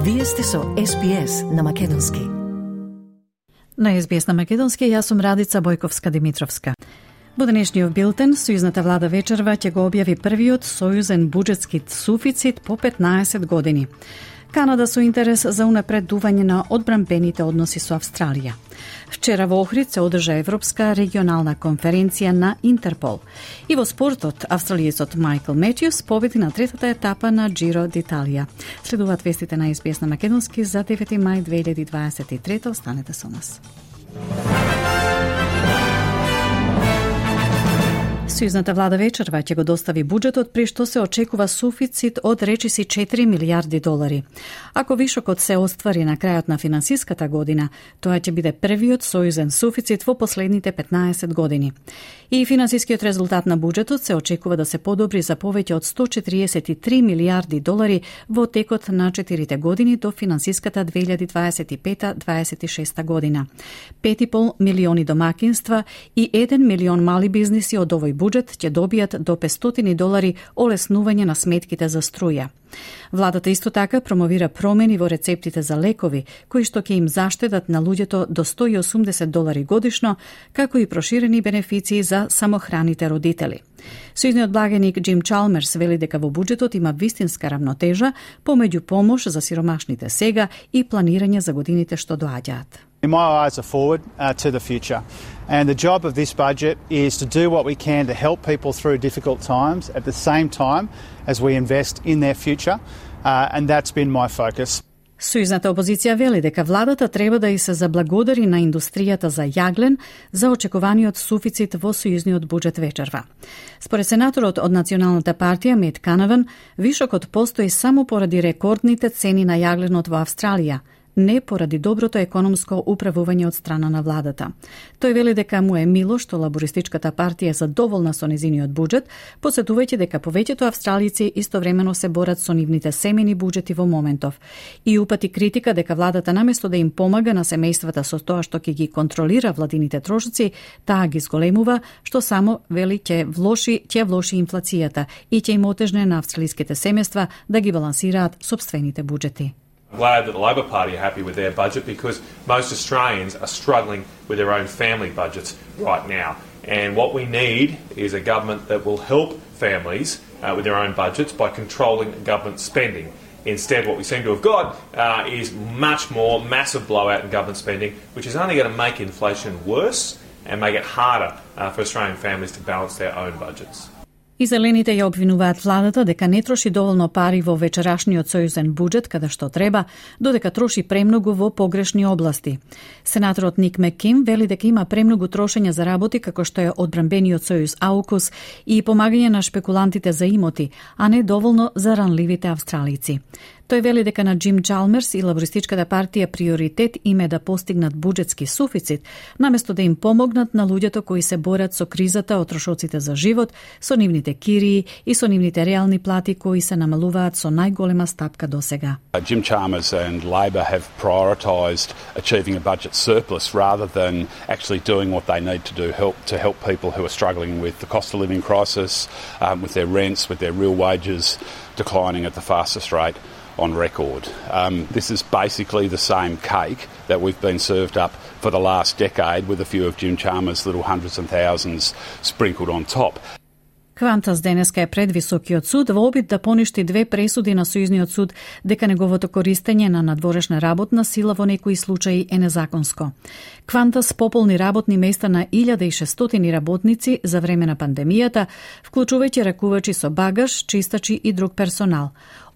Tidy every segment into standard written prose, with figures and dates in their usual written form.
Вие сте со SBS на Македонски. На SBS на Македонски, јас сум Радица Бојковска-Димитровска. Во денешниот билтен, Сојузната влада вечерва ќе го објави првиот сојузен буџетски суфицит по 15 години. Канада со интерес за унапредување на одбранбените односи со Австралија. Вчера во Охрид се одржа Европска регионална конференција на Интерпол. И во спортот, австралиецот Майкл Метјус победи на третата етапа на Джиро д'Италија. Следуваат вестите на SBS на Македонски за 9 мај 2023. Останете со нас. Сојузната влада вечерва ќе го достави буџетот при што се очекува суфицит од речиси 4 милиарди долари. Ако вишокот се оствари на крајот на финансиската година, тоа ќе биде првиот сојузен суфицит во последните 15 години. И финансискиот резултат на буџетот се очекува да се подобри за повеќе од 143 милиарди долари во текот на 4 години до финансиската 2025-26 година. 5,5 милиони домакинства и 1 милион мали бизниси од овој буџет ќе добијат до 500 долари олеснување на сметките за струја. Владата исто така промовира промени во рецептите за лекови, кои што ќе им заштедат на луѓето до 180 долари годишно, како и проширени бенефиции за самохраните родители. Сојузниот благеник Джим Чалмерс вели дека во буџетот има вистинска равнотежа помеѓу помош за сиромашните сега и планирање за годините што доаѓаат. My eyes are forward to the future, and the job of this budget is to do what we can to help people through difficult times at the same time as we invest in their future, and that's been my focus. Сојузната опозиција вели дека владата треба да и се заблагодари на индустријата за јаглен за очекуваниот суфицит во сојузниот буџет вечерва. Според сенаторот од Националната партија Мет Канаван, вишокот постои само поради рекордните цени на јагленот во Австралија, не поради доброто економско управување од страна на владата. Тој вели дека му е мило што лабористичката партија е задоволна со незиниот буџет, посетувајќи дека повеќето австралици истовремено се борат со нивните семени буџети во моментов. И упати критика дека владата наместо да им помага на семејствата со тоа што ќе ги контролира владините трошоци, таа ги зголемува, што само вели ќе влоши инфлацијата и ќе им отежне на австралиските семејства да ги балансираат сопствените буџети. I'm glad that the Labor Party are happy with their budget because most Australians are struggling with their own family budgets right now. And what we need is a government that will help families with their own budgets by controlling government spending. Instead, what we seem to have got is much more massive blowout in government spending, which is only going to make inflation worse and make it harder for Australian families to balance their own budgets. И зелените ја обвинуваат владата дека не троши доволно пари во вечерашниот сојузен буџет каде што треба, додека троши премногу во погрешни области. Сенаторот Ник Маккейн вели дека има премногу трошење за работи како што е одбранбениот сојуз AUKUS и помагање на шпекулантите за имоти, а не доволно за ранливите австралици. Тој вели дека на Джим Чалмерс и лабористичката партија приоритет им е да постигнат буџетски суфицит, наместо да им помогнат на луѓето кои се борат со кризата од трошоците за живот, со нивните кирии и со нивните реални плати кои се намалуваат со најголема стапка досега. Jim Chalmers and Labor have prioritised achieving a budget surplus rather than actually doing what they need to do to help people who are struggling with the cost of living crisis, with their rents, with their real wages declining at the fastest rate on record. This is basically the same cake that we've been served up for the last decade with a few of Jim Chalmers' little hundreds and thousands sprinkled on top. Квантас денеска е пред Високиот суд во обид да поништи две пресуди на Сојузниот суд дека неговото користење на надворешна работна сила во некои случаи е незаконско. Квантас пополни работни места на 1600 работници за време на пандемијата, вклучувајќи ракувачи со багаж, чистачи и друг персонал.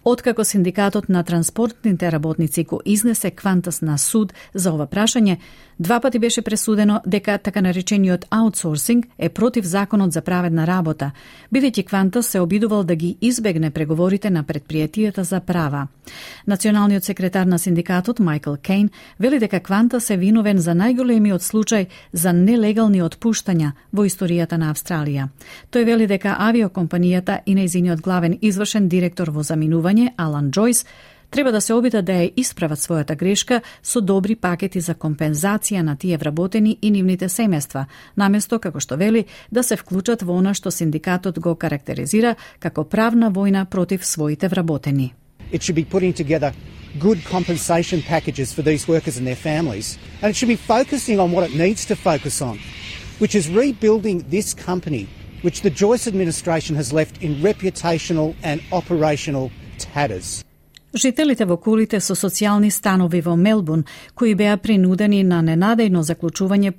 Откако синдикатот на транспортните работници го изнесе Квантас на суд за ова прашање, два пати беше пресудено дека така наречениот аутсорсинг е против законот за праведна работа, бидејќи Квантас се обидувал да ги избегне преговорите на предпријатијата за права. Националниот секретар на синдикатот Майкл Кейн вели дека Квантас е виновен за најголемиот случај за нелегални отпуштања во историјата на Австралија. Тој вели дека авиокомпанијата и нејзиниот главен извршен директор во заминување Алан Джойс треба да се обидат да ја исправат својата грешка со добри пакети за компензација на тие вработени и нивните семејства, наместо, како што вели, да се вклучат во она што синдикатот го карактеризира како правна војна против своите вработени. It should be putting together good compensation packages for these workers and their families. And it should be focusing on what it needs to focus on, which is rebuilding this company, which the Joyce administration has left in reputational and operational tatters. Жителите во кулите со социјални станови во Мелбурн, кои беа принудени на ненадејно заклучување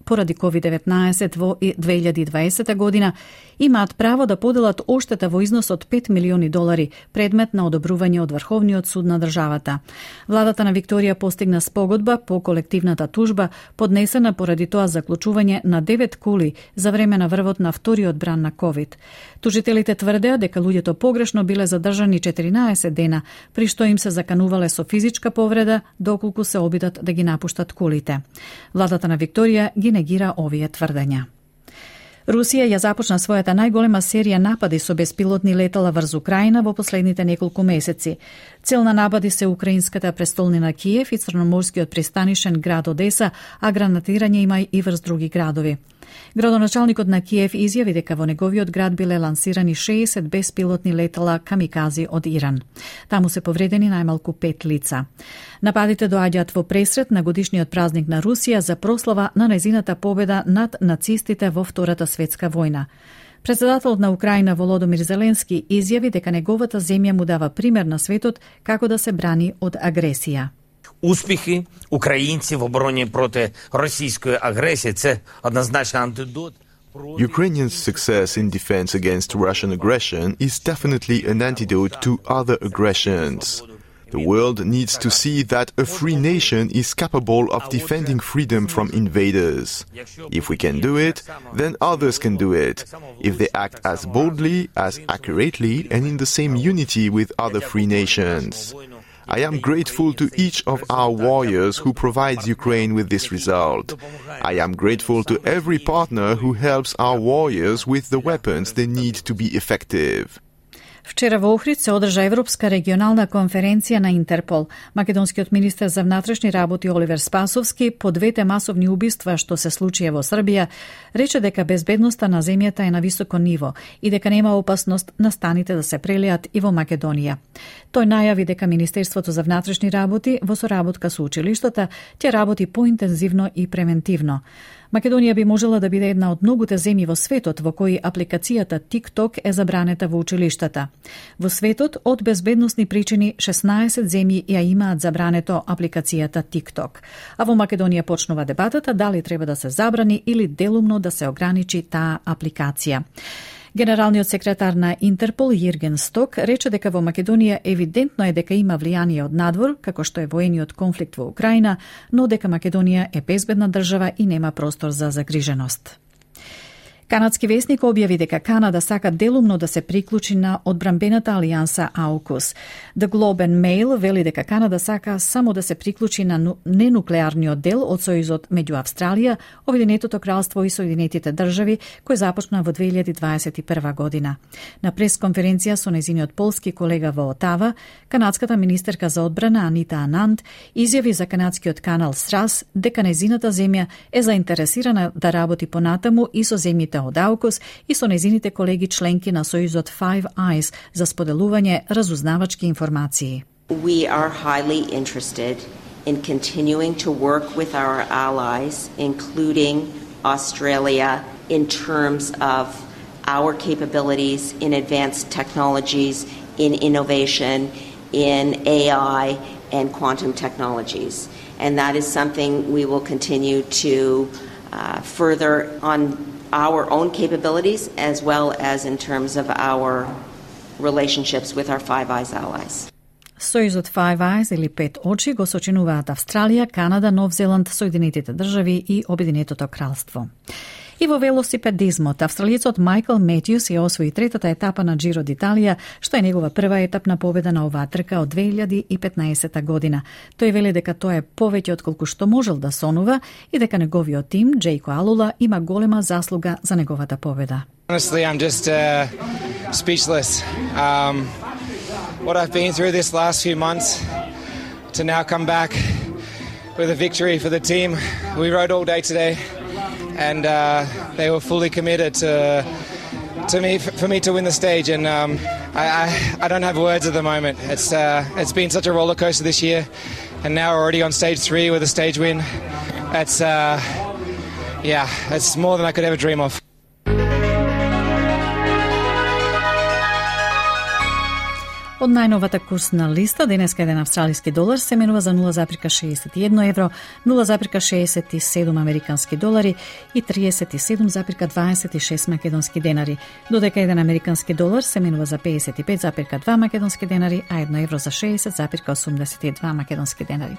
поради COVID-19 во 2020 година, имаат право да поделат оштета во износ од $5 милиони, предмет на одобрување од Врховниот суд на државата. Владата на Викторија постигна спогодба по колективната тужба, поднесена поради тоа заклучување на 9 кули за време на врвот на вториот бран на COVID. Тужителите тврдеа дека луѓето погрешно биле задржани 14 дена, при што им се заканувале со физичка повреда доколку се обидат да ги напуштат кулите. Владата на Викторија ги негира овие тврдења. Русија ја започна својата најголема серија напади со беспилотни летала врз Украина во последните неколку месеци. Цел на напади се украинската престолнина Киев и црноморскиот пристанишен град Одеса, а гранатирање има и врз други градови. Градоначалникот на Киев изјави дека во неговиот град биле лансирани 60 беспилотни летала камикази од Иран. Таму се повредени најмалку 5 лица. Нападите доаѓаат во пресред на годишниот празник на Русија за прослава на нејзината победа над нацистите во Втората светска војна. Председателот на Украина Володомир Зеленски изјави дека неговата земја му дава пример на светот како да се брани од агресија. Успіхи українців в обороні проти російської агресії – це однозначно антидот. Ukrainians' success in defense against Russian aggression is definitely an antidote to other aggressions. The world needs to see that a free nation is capable of defending freedom from invaders. If we can do it, then others can do it, if they act as boldly, as accurately, and in the same unity with other free nations. I am grateful to each of our warriors who provides Ukraine with this result. I am grateful to every partner who helps our warriors with the weapons they need to be effective. Вчера во Охрид се одржа Европска регионална конференција на Интерпол. Македонскиот министер за внатрешни работи Оливер Спасовски по двете масовни убиства што се случија во Србија, рече дека безбедноста на земјата е на високо ниво и дека нема опасност настаните да се прелеат и во Македонија. Тој најави дека Министерството за внатрешни работи во соработка со училиштата ќе работи поинтензивно и превентивно. Македонија би можела да биде една од многуте земји во светот во кои апликацијата TikTok е забранета во училиштата. Во светот, од безбедносни причини, 16 земји ја имаат забрането апликацијата TikTok. А во Македонија почнува дебатата дали треба да се забрани или делумно да се ограничи таа апликација. Генералниот секретар на Интерпол Јирген Сток рече дека во Македонија евидентно е дека има влијание од надвор, како што е воениот конфликт во Украина, но дека Македонија е безбедна држава и нема простор за загриженост. Канадски весник објави дека Канада сака делумно да се приклучи на одбранбената алијанса AUKUS. The Globe and Mail вели дека Канада сака само да се приклучи на ненуклеарниот дел од сојузот меѓу Австралија, Обединетото кралство и Соединетите држави, кој започна во 2021 година. На пресконференција со нејзиниот полски колега во Отава, канадската министерка за одбрана Анита Ананд изјави за канадскиот канал СРАС дека нејзината земја е заинтересирана да работи понатаму и со земјите од AUKUS и со нејзините колеги членки на сојузот Five Eyes за споделување разузнавачки информации. We are highly interested in continuing to work with our allies, including Australia, in terms of our capabilities in advanced technologies, in innovation, in AI and quantum technologies. And that is something we will continue to further on our own capabilities as well as in terms of our relationships with our Five Eyes allies. Сојузот Five Eyes или Пет очи го сочинуваат Австралија, Канада, Нов Зеланд, Соединетите држави и Обединетото кралство. И во велосипедизмот, австралиецот Майкл Метјус ја освои третата етапа на Джиро д'Италија, што е негова прва етапна победа на оваа трка од 2015 година. Тој вели дека тоа е повеќе од колку што можел да сонува и дека неговиот тим, Джейко Алула, има голема заслуга за неговата победа. Honestly, I'm just speechless. What I've been through this last few months to now come back with a victory for the team. We rode all day today. And they were fully committed for me to win the stage, and I don't have words at the moment. It's been such a roller coaster this year, and now we're already on stage 3 with a stage win. It's more than I could ever dream of. Од најновата курсна листа, денеска еден австралиски долар се менува за 0,61 евро, 0,67 американски долари и 37,26 македонски денари, додека еден американски долар се менува за 55,2 македонски денари, а 1 евро за 60,82 македонски денари.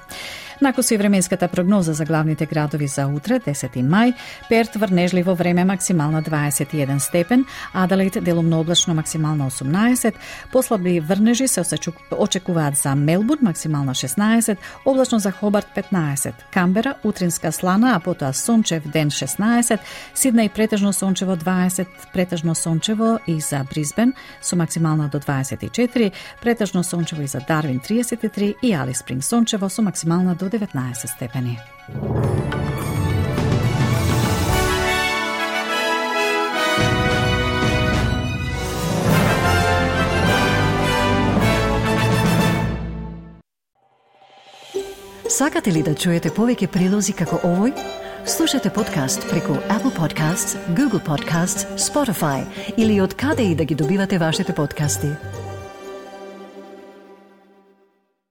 Накусу и временската прогноза за главните градови за утре, 10 мај, Перт врнежливо време максимална 21 степен, Аделаид делумно облачно максимална 18, послаби врнежи се очекуваат за Мелбурн максимална 16, облачно за Хобарт 15, Камбера утринска слана, а потоа сончев ден 16, Сиднеј претежно сончево 20, претежно сончево и за Брисбен со максимална до 24, претежно сончево и за Дарвин 33 и Алис Спринг сончево со максимална до 19 степени. Сакате ли да чуете повеќе прилози како овој? Слушате подкаст преку Apple Podcasts, Google Podcasts, Spotify или од каде и да ги добивате вашите подкасти.